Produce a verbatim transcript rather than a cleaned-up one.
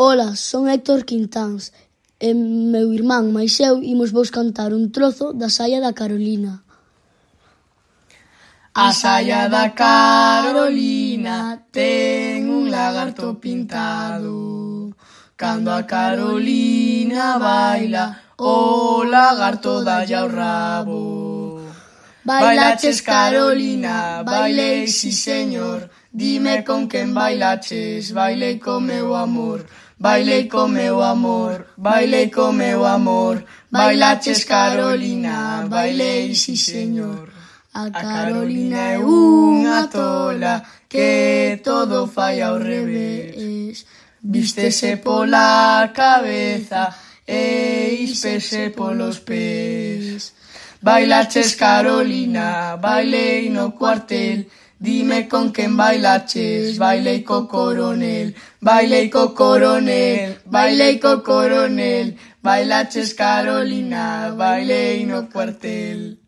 Ola, son Héctor Quintáns e meu irmán mais eu imos vos cantar un trozo da saia da Carolina. A saia da Carolina ten un lagarto pintado. Cando a Carolina baila, o lagarto dalle ao rabo. Bailaches, Carolina, bailei, si señor. Dime con quen bailaches, bailei co meu amor. Bailei co meu amor, bailei co meu amor. Bailaches, Carolina, bailei, si señor. A Carolina é unha tola que todo fai ao revés. Vístese pola cabeza e ispese polos pés. Bailaches, Carolina, bailei no cuartel. Dime con quen bailaches, bailei co coronel. Bailei co coronel, bailei co coronel. Bailaches, Carolina, bailei no cuartel.